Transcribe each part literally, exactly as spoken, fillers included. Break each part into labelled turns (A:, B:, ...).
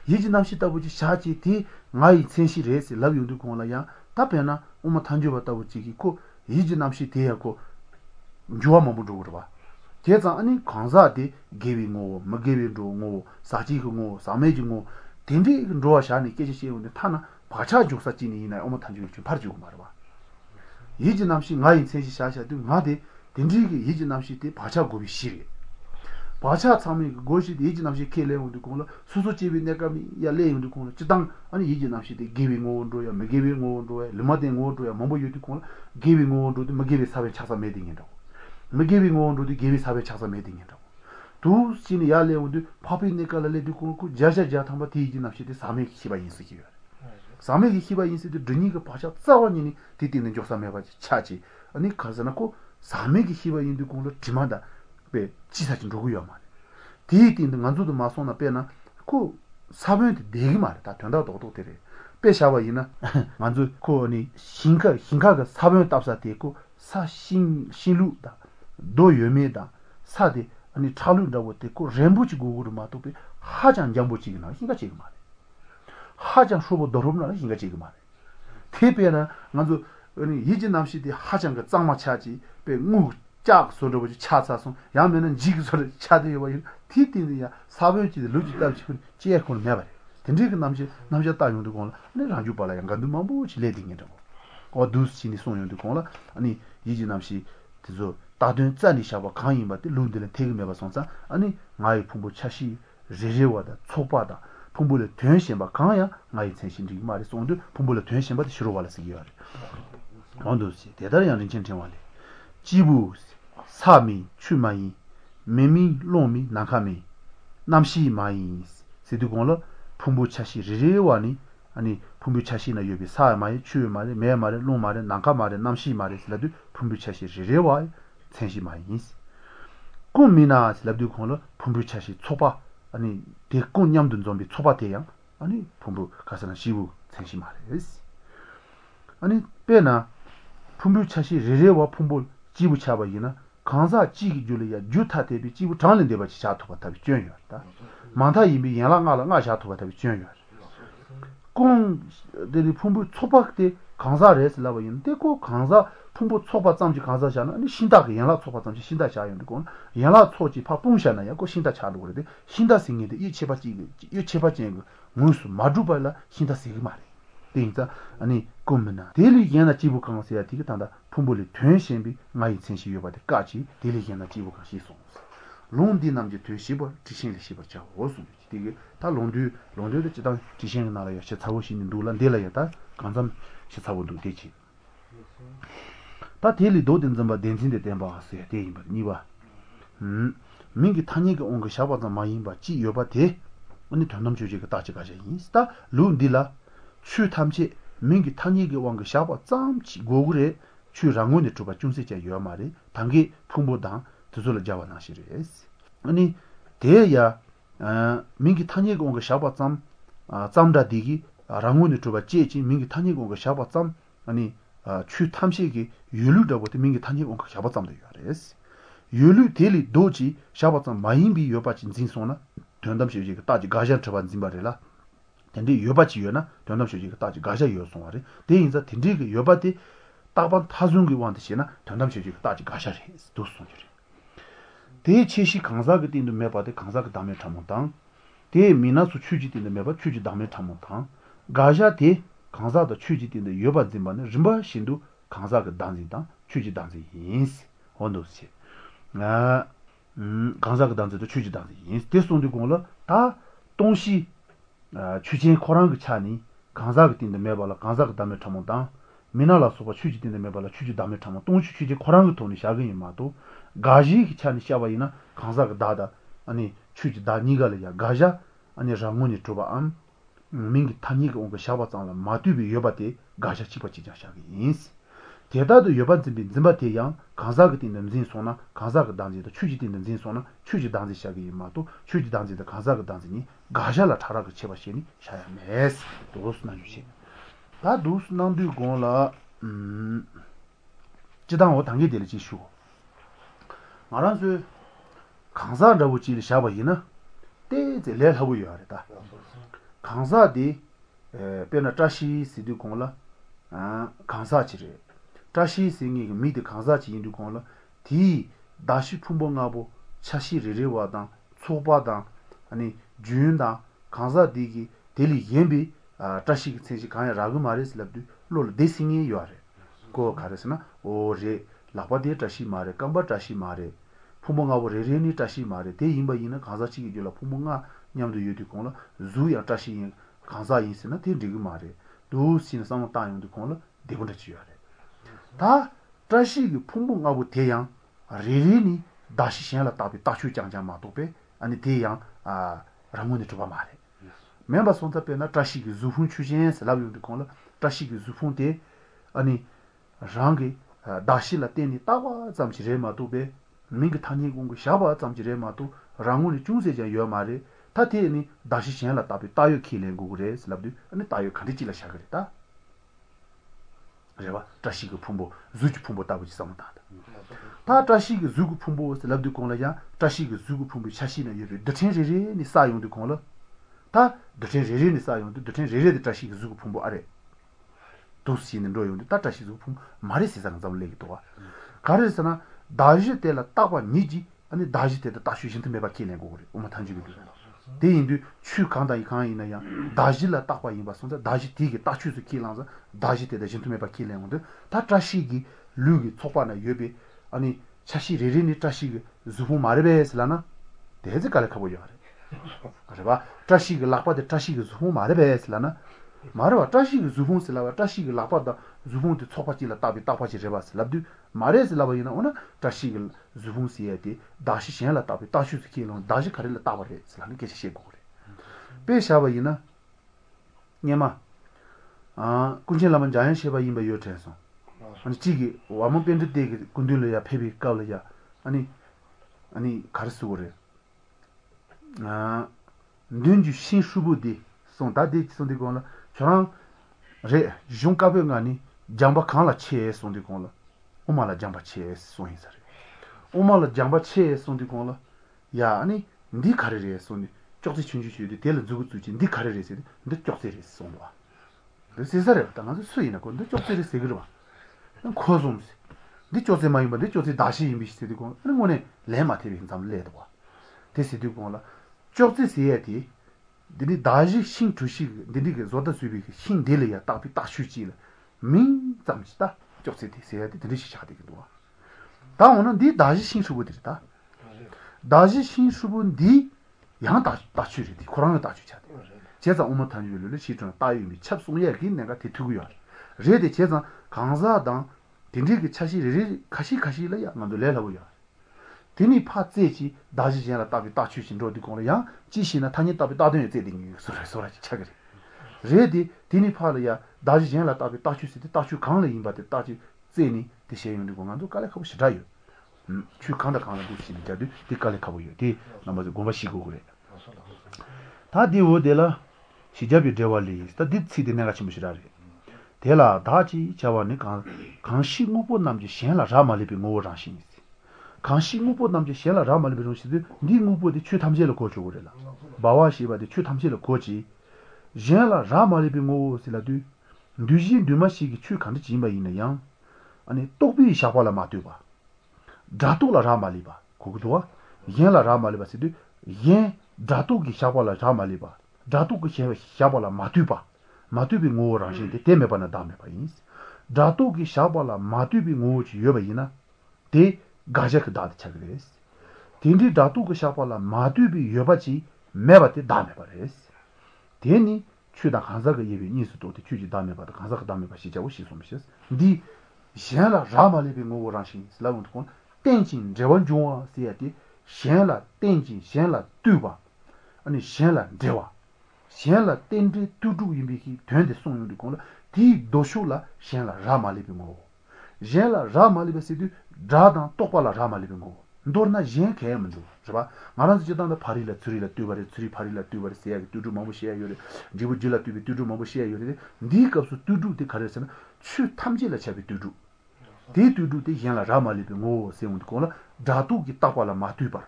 A: 예지 남시 따부지 샤지 디 나이 센시 레스 라비우도 공라야 답변나 엄마 탄주 받다부지 고 예지 남시 대하고 주와만 보고 봐 제가 아니 강사디 게비고 먹게비도 사지고 사매지고 딘디 로아샤니 깨지시는데 타나 바차 죽사지니 이나 엄마 탄주 좀 바르주고 말아 봐 예지 남시 나이 센시 샤샤도 나데 딘디게 예지 남시 때 바차 고비 시리 바차 참이 고시 예지 남시 켈레운도 공라 수수집이 내가 야레운도 공라 지당 아니 예지 남시 때 게비고도야 먹게비고도야 르마데고도야 뭐뭐 유티 공라 게비고도도 먹게비 사베 차사 메딩이라고 먹게비고도도 게비 사베 차사 메딩이라고 두 신이 야레운도 파피니까레도 공고 자자자 탐바 티지 남시 때 사메 키바 인스기요 사메기 키바 인스도 드니가 바차 싸워니니 디디는 조사메바지 차지 아니 가서나고 사메기 키바 인도 공라 지마다 배 지사진 누구야 말. 디디는 만주도 마소나 빼나 그 사변한테 내기 말이야. 다 된다고 또 되래. 빼샤와이나 만주 코니 신가 신가가 사변 답사 되고 사신 신루다. 도여메다. 사데 아니 차루다고 되고 렘부지 고구로 마도 배 하장 장보지기나 hin가 지금 말이야. 하장 수보 더럽나 hin가 지금 말이야. 대배나 만주 아니 이진 남시디 하장가 짱마차지 배무 짝 소리보지 차차송 야면은 지그소리 차대요 봐 티티야 사변지들 루지다 지금 제콘 매발 근데 남지 남자 따용도 공라 아니 라주 발라 양간도 마부 지레딩이라고 어두스치니 송용도 공라 아니 이지 남시 그저 다든 짠이 샤바 강이 맞대 룬들은 태그 매바 송사 아니 마이 풍부 차시 제제와다 초바다 풍부를 된신 바 강야 마이 센신지 말이 송도 풍부를 된신 바도 싫어 발라스기요 언도시 대단히 하는 진정원래 지부 사미 추마이 메미 로미 나카미 남시 마이 세두공로 풍부차시 리레와니 아니 풍부차시나 요비 사마이 추마이 메마레 로마레 나카마레 남시 마레 슬라두 풍부차시 리레와 센시 마이스 꿈미나 슬라두 공로 풍부차시 초바 아니 대꾼냠든 좀비 초바 대양 아니 풍부 가서는 시부 센시 마레스 아니 빼나 풍부차시 리레와 풍부 지부 차바이나 강사 지기 줄이야 주타 대비 지부 장는 대바 차토 바타비 쥐어요다 많다 이미 연락하라 나 차토 바타비 쥐어요 공 데리 풍부 초박대 강사레스 라바인데 고 강사 풍부 초박 잠지 강사잖아 아니 신다게 연락 초박 잠지 신다 자연데 고 연락 초지 파 뽕샤나야 고 신다 차로 그래데 신다 생이데 이 제바지 이 제바지 무슨 마주발라 신다 생이 말이 되니까 아니 꿈나 델리게나 지부 강사야 되게 단다 풍부리 된신비 마이 센시 요바데 까지 델리게나 지부 강시 송 롱디 남지 되시버 지신리 시버 자 오수 되게 다 롱디 롱디도 지당 지신 나라야 시 타고 신는 놀란 델라야다 간삼 시 타고도 되지 다 델리 도든 점바 덴진데 덴바 하세요 대임바 니바 음 민기 타니가 온거 샤바다 마이바 지 요바데 언니 돈놈 주지가 따지 가자 인스타 룬딜라 추 탐지 민기 타니게 왕거 샤바 짬치 고그레 추 랑원에 주바 중세자 요 말이 당기 풍보당 두솔 자와나시레스 아니 대야 아 민기 타니게 왕거 샤바 짬 짬다디기 랑원에 주바 제지 민기 타니게 왕거 샤바 짬 아니 추 탐시기 율루다고 민기 타니게 왕거 샤바 짬다 요레스 율루 델리 도지 샤바 짬 마인비 요바진 진소나 된담시지 따지 가자 저반 진바레라 근데 요바지 요나 전담쇼지가 따지 가자 요송아래 대인자 딘디게 요바디 따반 타중기 원듯이나 전담쇼지가 따지 가샤리 도송지리 대체시 강사가 딘도 매바데 강사가 담에 참모당 대 미나수 추지 딘도 매바 추지 담에 참모당 가샤 대 강사도 추지 딘도 요바진만은 림바 신도 강사가 단지당 추지 단지 인스 언도시 아 강사가 단지도 추지 단지 인스 대송도 공로 다 동시 아 추진 코랑 그 차니 강사가 뛴데 매발라 강사가 담에 참모다 미나라 소바 추지 뛴데 매발라 추지 담에 참모 동시 추지 코랑 그 돈이 샤근이 마도 가지 그 차니 샤바이나 강사가 다다 아니 추지 다 니가려야 가자 아니 장문이 줘봐암 민기 타니가 온거 샤바장라 마두비 여바데 가자 치바치자 샤기 인스 대다도 여반진비 진바테양 강사가 뛴데 무슨 소나 강사가 단지도 추지 뛴데 무슨 소나 추지 단지 샤기 마도 추지 단지도 강사가 단지니 가샤라 타라가 쳐바시니 샤야메스 도스나 주시 다 도스난도 공라 음 지당 어 당게 될지 쉬고 말한수 강사라고 지리 샤바이나 때제 레하고 요하다 강사디 에 페나 타시 시디 공라 아 강사치레 타시 싱이 미드 강사치 인도 공라 디 다시 품봉하고 차시 레레와다 초바다 아니 주윤다 강사디기 델리 옌비 아 타시 세지 강야 라그 마레슬랍디 롤 데싱이 요아레 고 가르스나 오레 라바디 타시 마레 깜바 타시 마레 품봉하고 레레니 타시 마레 데 임바 이나 강사치기 줄라 품봉아 냠도 유디 공라 주야 타시 강사 인스나 데 리그 마레 도 신상 따용도 공라 데본다 지요아레 다 타시기 품봉하고 대양 레레니 다시 신라 따비 따슈 장장 마도베 아니 대양 아 라문이 좀 말해 멤버 손잡에나 타시기 주훈 추진 살아비도 공라 타시기 주훈데 아니 랑게 다시라 때니 따와 잠지레 마도베 민그 타니 공고 샤바 잠지레 마도 랑문이 중세자 요 말에 타테니 다시 신라 따비 따요 키len 고그레 살아비 아니 따요 칸디치라 샤그레다 그래봐 타시기 품보 주주 품보 따부지 삼다다 다 타시기 주구 품보 살아비 공라야 타시기 주구 품보 차시는 여르 드텐레레 니 사용도 공라 다 드텐레레 니 사용도 드텐레레 타시기 주구 품보 아래 도시는 로용도 다 타시 주구 품보 말이 세상 잡을래기 도와 가르스나 다지 때라 따와 니지 아니 다지 때다 다슈신트 메바 키네 고그레 오마 탄지비 대인도 추강다 이칸이나야 다지라 따와 임바 손자 다지 디게 따추스 키랑자 다지 때다 신트 메바 키네온데 다 타시기 루기 촉바나 여비 아니 차시 레레니 타시기 주부 마르베슬라나 대제 갈카보요 그래봐 타시기 라파데 타시기 주부 마르베슬라나 마르와 타시기 주부 슬라와 타시기 라파다 주부한테 촉바지라 따비 따파지 제바스 랍두 마레슬라바이나 오나 타시기 주부 시에티 다시 신라 따비 따슈스 키노 다시 카레라 따바레 슬라니 게시시 고레 베샤바이나 냐마 아 군신라만 자연 셰바 임바 요테서 아니 지기 와문 밴드 되게 군들려야 페비 까올려야 아니 아니 가르스 고레 아 눈주 신수부디 손다디 손디고라 저랑 레 juncaben가니 잠바 칸라 체 손디고라 오마라 잠바 체 손이사레 오마라 잠바 체 손디고라 야 아니 니 가르레 손이 쪽지 춘주주디 델 주고 주지 니 가르레세 근데 쪽세레 손와 그래서 세사레 당아서 수이나 근데 쪽세레 세그르바 코좀스 니 쪽세 많이 봐. 니 쪽세 다시 임비시되고 그런 거네 레마티비 좀 레도 봐. 데시되고라 쪽세 세야디 니 다시 신 주시 니가 조다 수비 신 델이야 딱비 딱 쉬지라 민 잠시다 쪽세 세야디 드리시 샤되기도 와 다음은 니 다시 신 수부들이다 다시 신 수부 니 양다 다 쉬리디 코로나 다 쉬자 제가 오면 단위를 시중 따위미 첩송에 긴 내가 대투고요 레데 제가 강사당 딘디기 차시리 가시 가시라야 나도 레라고요 디니 파제지 다지지나 답이 다 추신 로디 공려야 지시나 타니 답이 다든 제딩이 소라 소라 차그리 레디 디니 파려야 다지지나 답이 다 추시데 다추 강래 임바데 다지 제니 디셰윤디 공안도 깔래 가고 싶다요 음 추강다 강나 도시니 자디 디깔래 가고요 디 남아서 고마시고 그래 다디 오데라 시자비 데왈리 다 디치데 내가 침부시라리 대라 다지 자와니 강 강시 무보 남지 신라 라말리비 모라신 강시 무보 남지 신라 라말리비 로시드 니 무보디 추 탐제를 고줘 그래라 바와시바디 추 탐제를 고지 신라 라말리비 모실라두 두지 두마시기 추 간지 지마 있네요 아니 똑비 샤발라 마투바 다토라 라말리바 고도와 신라 라말리바시드 예 다토기 샤발라 라말리바 다토기 샤발라 마투바 마투비 모라신데 테메바나 다메바 인스 다토기 샤발라 마투비 모지 여바이나 데 가자크 다드 차그레스 딘디 다토기 샤발라 마투비 여바지 메바테 다메바레스 데니 추다 간사가 예비 니스도데 추지 다메바다 간사가 다메바 시자고 시솜시스 디 샹라 라말리비 모라신 슬라운트콘 땡진 제원종아 시야디 샹라 땡진 샹라 뚜바 아니 샹라 데와 샹라 땡지 뚜두 임비기 된데 송용디 콘라 디 도쇼라 샹라 라말리비 모 샹라 라말리비 시디 다단 똑발라 라말리비 모 ndorna jen kemdo jaba maran jidan da parila tsrila tubare tsri parila tubare se ya tudu mamu she yore jibu jila tubi tudu mamu she yore ndi kapsu tudu de karesana chu 탐지라 chabi tudu de tudu de yanla ramali be ngo seund kola datu ki tapala matubar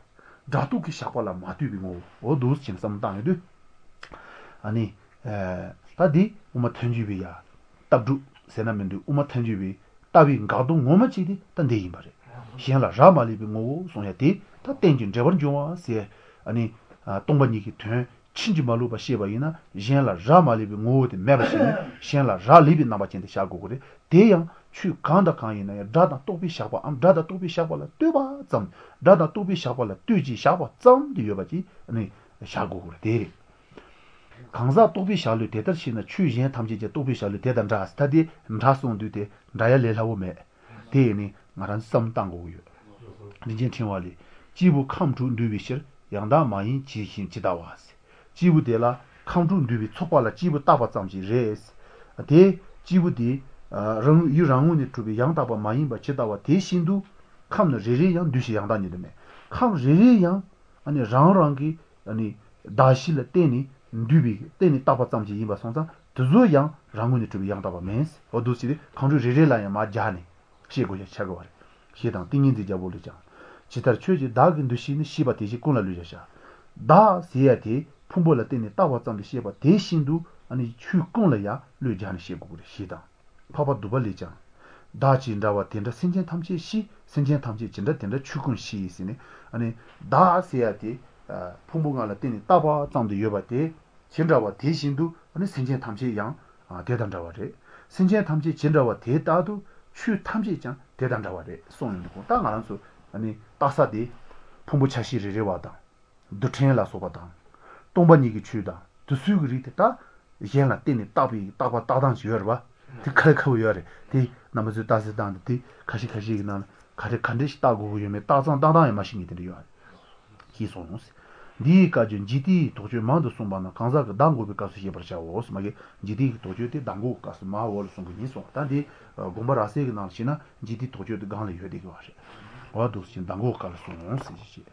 A: datu ki shapala matubi ngo o dos chin samdang de ani 다디 우마 텐주비야 답두 세나면도 우마 텐주비 답이 가도 뭐마치디 단데이 말해 시행라 라말리비 뭐 송야디 다 땡진 저번 좋아세 아니 동반이기 돼 친지 말로 봐 시바이나 시행라 라말리비 뭐데 매바시 시행라 라리비 나바친데 샤고 그래 대양 추 간다 간이나 다다 또비 샤바 암 다다 또비 샤발라 뜨바 점 다다 또비 샤발라 뜨지 샤바 점 뒤여바지 아니 샤고 그래 대리 강사 또비 샤르 대더시나 추진 탐지제 또비 샤르 대단자 스타디 음사송도데 나야레라오메 대니 마란 썸땅고요 니진 팀와리 지부 캄주 누비실 양다 마인 지신 지다와스 지부데라 캄주 누비 촉발라 지부 따바 잠지 레스 대 지부디 랑 유랑운이 투비 양다바 마인바 지다와 대신도 캄는 레레양 두시 양다니데메 캄 레레양 아니 랑랑기 아니 다실레 때니 누비 때니 따바 잠지 이바 송자 드조양 랑운이 투비 양다바 멘스 어두시리 캄주 레레라야 마자네 시고야 차고와 시당 띵인지 잡올리자 지달 최지 다긴 두시니 시바 대시 콘라르자샤 다 시야티 품볼라 때니 따바 잠지 시바 대신도 아니 추콘라야 르자니 시고고 시당 파파 두발리자 다진다와 텐다 신전 탐지 시 신전 탐지 진다 텐다 추군 시 있으니 아니 다 시야티 풍부가라 때니 따바 잠도 여바티 진다와 대신도 아니 신전 탐지 양 대단자와래 신전 탐지 진다와 대다도 추 탐지장 대단자와래 송인고 땅안수 아니 따사디 풍부 차시리레 와다 두텐라 소바다 동반이기 추다 두수그리다 얘나 때니 따비 따바 따당시 여봐 디카카고 여래 디 남아서 따스단데 디 카시카시기나 가르 간데시 따고 요메 따상 따당의 마신이 들이요 기소노스 니까지 지디 도저 만도 송바나 강사가 당고비 가서 해버자고 스마게 지디 도저때 당고 가서 마월 송기니 송 단디 고마라세기 나시나 지디 도저도 강을 여되게 와시 와도 신 당고 가서 송스